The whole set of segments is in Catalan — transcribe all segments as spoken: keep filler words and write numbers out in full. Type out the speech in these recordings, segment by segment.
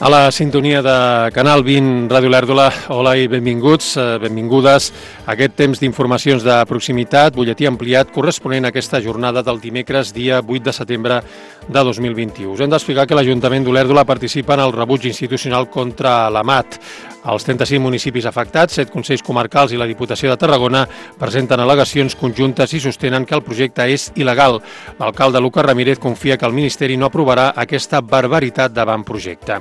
A la sintonia de Canal vint, Ràdio Olèrdola, hola i benvinguts, benvingudes a aquest temps d'informacions de proximitat, butlletí ampliat corresponent a aquesta jornada del dimecres, dia vuit de setembre de dos mil vint-i-u. Us hem d'explicar que l'Ajuntament d'Olèrdola participa en el rebuig institucional contra la M A T. Els trenta-cinc municipis afectats, set consells comarcals i la Diputació de Tarragona presenten al·legacions conjuntes i sostenen que el projecte és il·legal. L'alcalde Lucas Ramírez confia que el Ministeri no aprovarà aquesta barbaritat d'avantprojecte.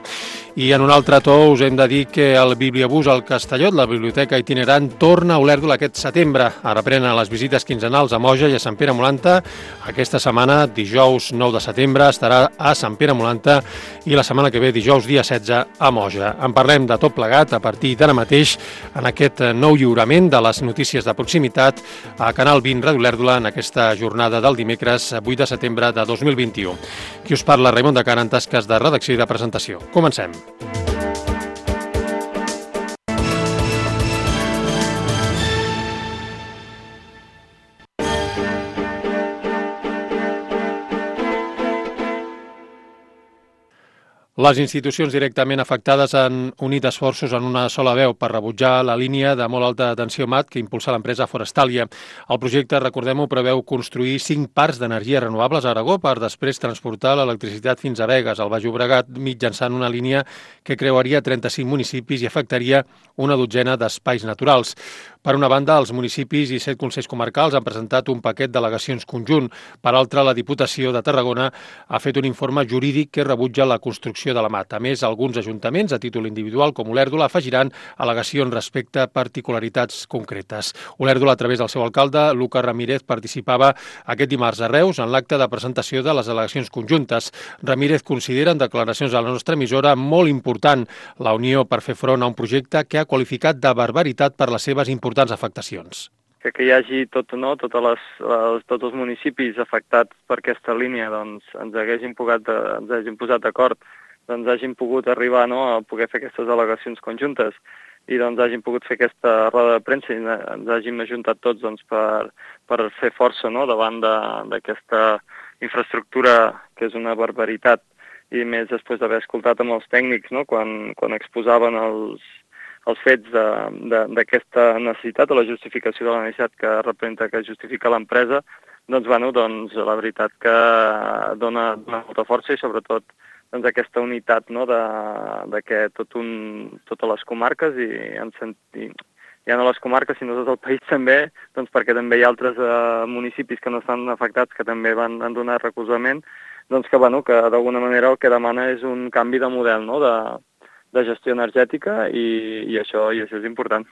I en un altre to us hem de dir que el Bibliobús al Castellot, la biblioteca itinerant, torna a Olèrdola aquest setembre. Ara prenen les visites quinzenals a Moja i a Sant Pere Molanta. Aquesta setmana, dijous nou de setembre, estarà a Sant Pere Molanta i la setmana que ve, dijous dia setze, a Moja. En parlem de tot plegat a partir d'ara mateix en aquest nou lliurament de les notícies de proximitat a Canal vint Ràdio Olèrdola en aquesta jornada del dimecres vuit de setembre de dos mil vint-i-u. Qui us parla, Raimon de Cara, en tasques de redacció i de presentació. Comencem. Les institucions directament afectades han unit esforços en una sola veu per rebutjar la línia de molt alta tensió M A T que impulsa l'empresa Forestalia. El projecte, recordem-ho, preveu construir cinc parcs d'energies renovables a Aragó per després transportar l'electricitat fins a Begues, al Baix Llobregat, mitjançant una línia que creuaria trenta-cinc municipis i afectaria una dotzena d'espais naturals. Per una banda, els municipis i set consells comarcals han presentat un paquet d'al·legacions conjunt. Per altra, la Diputació de Tarragona ha fet un informe jurídic que rebutja la construcció de la M A T. A més, alguns ajuntaments, a títol individual, com Olèrdola, afegiran al·legacions respecte a particularitats concretes. Olèrdola, a través del seu alcalde, Lucas Ramírez, participava aquest dimarts a Reus en l'acte de presentació de les al·legacions conjuntes. Ramírez considera en declaracions a la nostra emissora molt important la unió per fer front a un projecte que ha qualificat de barbaritat per les seves importants afectacions. Que, que hi hagi tot, no, totes les, les, tots els municipis afectats per aquesta línia doncs, ens haguessin pogut, ens hagin posat d'acord, doncs hagin pogut arribar, no, a poder fer aquestes al·legacions conjuntes i doncs hagin pogut fer aquesta roda de premsa i ens hagin ajuntat tots doncs, per, per fer força, no, davant d'aquesta infraestructura que és una barbaritat, i més després d'haver escoltat amb els tècnics, no, quan, quan exposaven els els fets d'aquesta necessitat o la justificació de la necessitat que representa, que justifica l'empresa, doncs, bueno, doncs la veritat que dona, dona molta força i sobretot doncs, aquesta unitat, no, de, de que tot un, totes les comarques i en sentit, ja no les comarques sinó tot el país també, doncs perquè també hi ha altres eh, municipis que no estan afectats que també van han donat recolzament, doncs que, bueno, que d'alguna manera el que demana és un canvi de model, no, de de gestió energètica i, i, això, i això és important.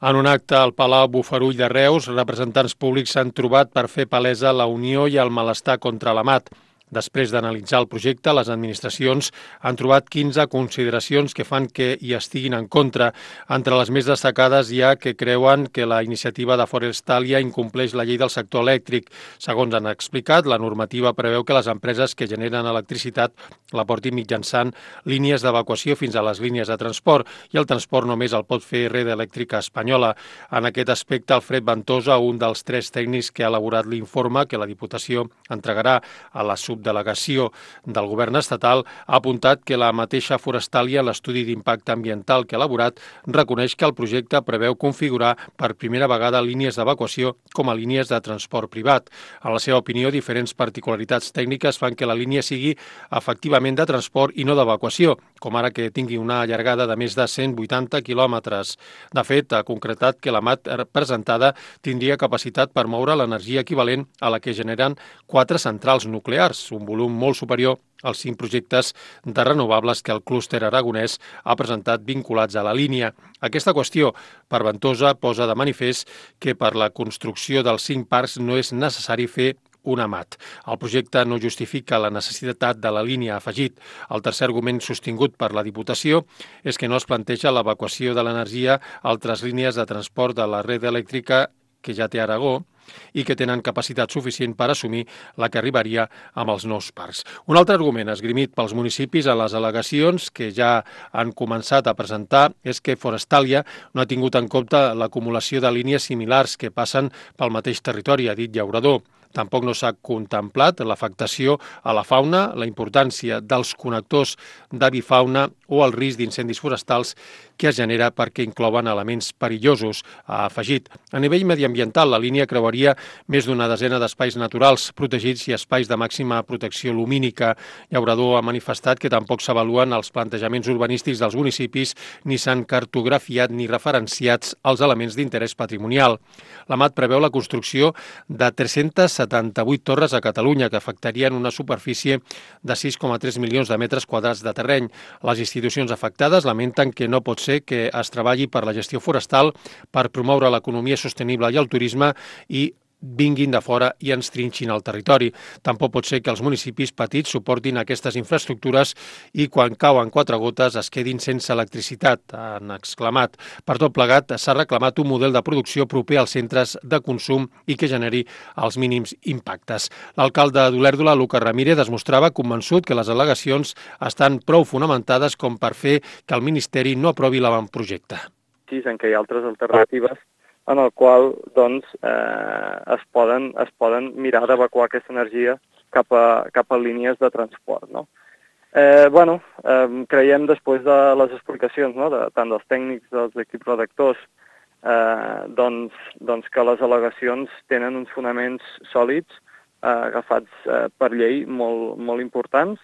En un acte al Palau Bofarull de Reus, representants públics s'han trobat per fer palesa la unió i el malestar contra la M A T. Després d'analitzar el projecte, les administracions han trobat quinze consideracions que fan que hi estiguin en contra. Entre les més destacades hi ha que creuen que la iniciativa de Forestalia incompleix la llei del sector elèctric. Segons han explicat, la normativa preveu que les empreses que generen electricitat la portin mitjançant línies d'evacuació fins a les línies de transport i el transport només el pot fer Red Elèctrica Espanyola. En aquest aspecte, Alfred Ventosa, un dels tres tècnics que ha elaborat l'informe que la Diputació entregarà a la sub delegació del govern estatal, ha apuntat que la mateixa Forestalia, en l'estudi d'impacte ambiental que ha elaborat, reconeix que el projecte preveu configurar per primera vegada línies d'evacuació com a línies de transport privat. En la seva opinió, diferents particularitats tècniques fan que la línia sigui efectivament de transport i no d'evacuació, com ara que tingui una llargada de més de cent vuitanta quilòmetres. De fet, ha concretat que la M A T presentada tindria capacitat per moure l'energia equivalent a la que generen quatre centrals nuclears, un volum molt superior als cinc projectes de renovables que el clúster aragonès ha presentat vinculats a la línia. Aquesta qüestió, per Ventosa, posa de manifest que per la construcció dels cinc parcs no és necessari fer una M A T. El projecte no justifica la necessitat de la línia, ha afegit. El tercer argument sostingut per la Diputació és que no es planteja l'evacuació de l'energia a altres línies de transport de la red elèctrica que ja té Aragó i que tenen capacitat suficient per assumir la que arribaria amb els nous parcs. Un altre argument esgrimit pels municipis a les al·legacions que ja han començat a presentar és que Forestalia no ha tingut en compte l'acumulació de línies similars que passen pel mateix territori, ha dit Llaurador. Tampoc no s'ha contemplat l'afectació a la fauna, la importància dels connectors d'avifauna o el risc d'incendis forestals que es genera perquè inclouen elements perillosos, ha afegit. A nivell mediambiental, la línia creuaria més d'una desena d'espais naturals protegits i espais de màxima protecció lumínica. Llaurador ha manifestat que tampoc s'avaluen els plantejaments urbanístics dels municipis ni s'han cartografiat ni referenciats els elements d'interès patrimonial. L'Amat preveu la construcció de tres-centes setanta-vuit torres a Catalunya, que afectarien una superfície de sis coma tres milions de metres quadrats de terreny. Les institucions afectades lamenten que no pot ser que es treballi per la gestió forestal, per promoure l'economia sostenible i el turisme i vinguin de fora i ens trinxin el territori. Tampoc pot ser que els municipis petits suportin aquestes infraestructures i quan cauen quatre gotes es quedin sense electricitat, han exclamat. Per tot plegat, s'ha reclamat un model de producció proper als centres de consum i que generi els mínims impactes. L'alcalde d'Olèrdola, Lucas Ramírez, es mostrava convençut que les al·legacions estan prou fonamentades com per fer que el Ministeri no aprovi l'avantprojecte. Sí, en què hi ha altres alternatives en el qual doncs, eh, es, poden, es poden mirar d'evacuar aquesta energia cap a, cap a línies de transport. No? Eh, bueno, eh, creiem després de les explicacions, no? de, tant dels tècnics, dels equips redactors, eh, doncs, doncs que les al·legacions tenen uns fonaments sòlids, eh, agafats eh, per llei molt, molt importants,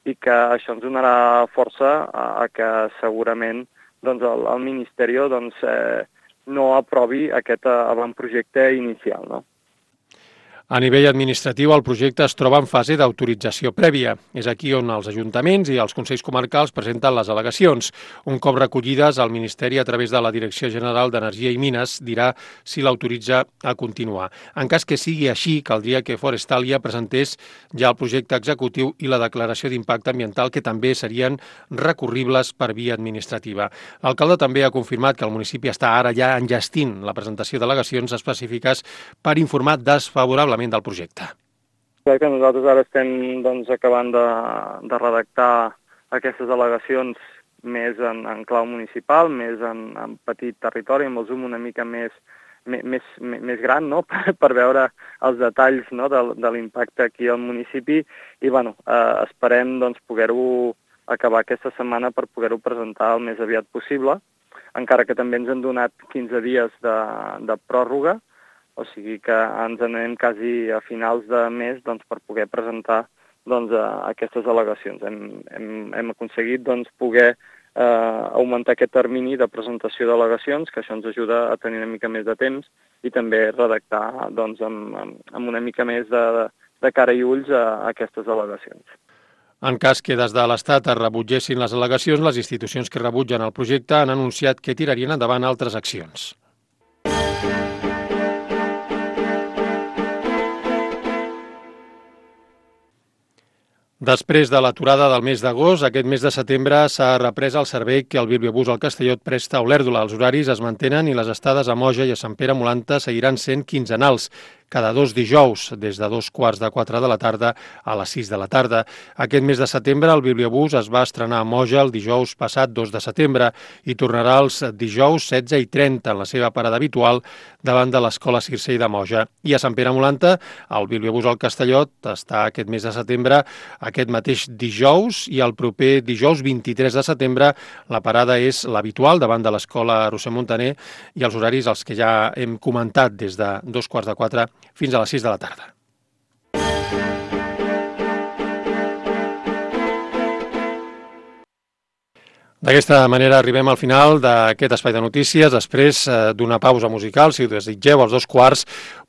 i que això ens donarà força a, a que segurament doncs, el, el Ministeri doncs, eh, no aprovi aquest avantprojecte inicial, no? A nivell administratiu, el projecte es troba en fase d'autorització prèvia. És aquí on els ajuntaments i els consells comarcals presenten les al·legacions. Un cop recollides, el Ministeri, a través de la Direcció General d'Energia i Mines, dirà si l'autoritza a continuar. En cas que sigui així, caldria que Forestalia presentés ja el projecte executiu i la declaració d'impacte ambiental, que també serien recurribles per via administrativa. L'alcalde també ha confirmat que el municipi està ara ja enllestint la presentació d'al·legacions específiques per informar desfavorablement del projecte. Crec que nosaltres ara estem doncs, acabant de, de redactar aquestes al·legacions més en, en clau municipal, més en, en petit territori, amb el zoom una mica més, més, més, més gran, no? per, per veure els detalls, no? de, de l'impacte aquí al municipi i bueno, eh, esperem doncs, poder-ho acabar aquesta setmana per poder-ho presentar el més aviat possible, encara que també ens han donat quinze dies de, de pròrroga, o sigui que ens anem quasi a finals de mes doncs, per poder presentar doncs, aquestes al·legacions. Hem, hem, hem aconseguit doncs, poder eh, augmentar aquest termini de presentació d'al·legacions, que això ens ajuda a tenir una mica més de temps i també redactar doncs, amb, amb una mica més de, de cara i ulls a, a aquestes al·legacions. En cas que des de l'Estat es rebutgessin les al·legacions, les institucions que rebutgen el projecte han anunciat que tirarien endavant altres accions. Després de l'aturada del mes d'agost, aquest mes de setembre s'ha reprès el servei que el Bibliobús al Castellot presta a Olèrdola. Els horaris es mantenen i les estades a Moja i a Sant Pere Molanta seguiran sent quinzenals, cada dos dijous, des de dos quarts de quatre de la tarda a les sis de la tarda. Aquest mes de setembre el Bibliobús es va estrenar a Moja el dijous passat dos de setembre i tornarà els dijous setze i trenta en la seva parada habitual davant de l'Escola Circei de Moja. I a Sant Pere Molanta, el Bibliobús al Castellot està aquest mes de setembre aquest mateix dijous i el proper dijous vint-i-tres de setembre la parada és l'habitual davant de l'Escola Roser Montaner i els horaris els que ja hem comentat des de dos quarts de quatre fins a les sis de la tarda. D'aquesta manera arribem al final d'aquest espai de notícies. Després d'una pausa musical, si ho desitgeu, als dos quarts,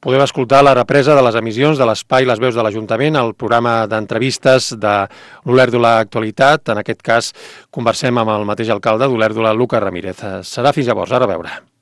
podeu escoltar la represa de les emissions de l'Espai Les Veus de l'Ajuntament, el programa d'entrevistes de l'Olèrdola Actualitat. En aquest cas, conversem amb el mateix alcalde d'Olèrdola, Lucas Ramírez. Serà fins llavors. Ara a veure.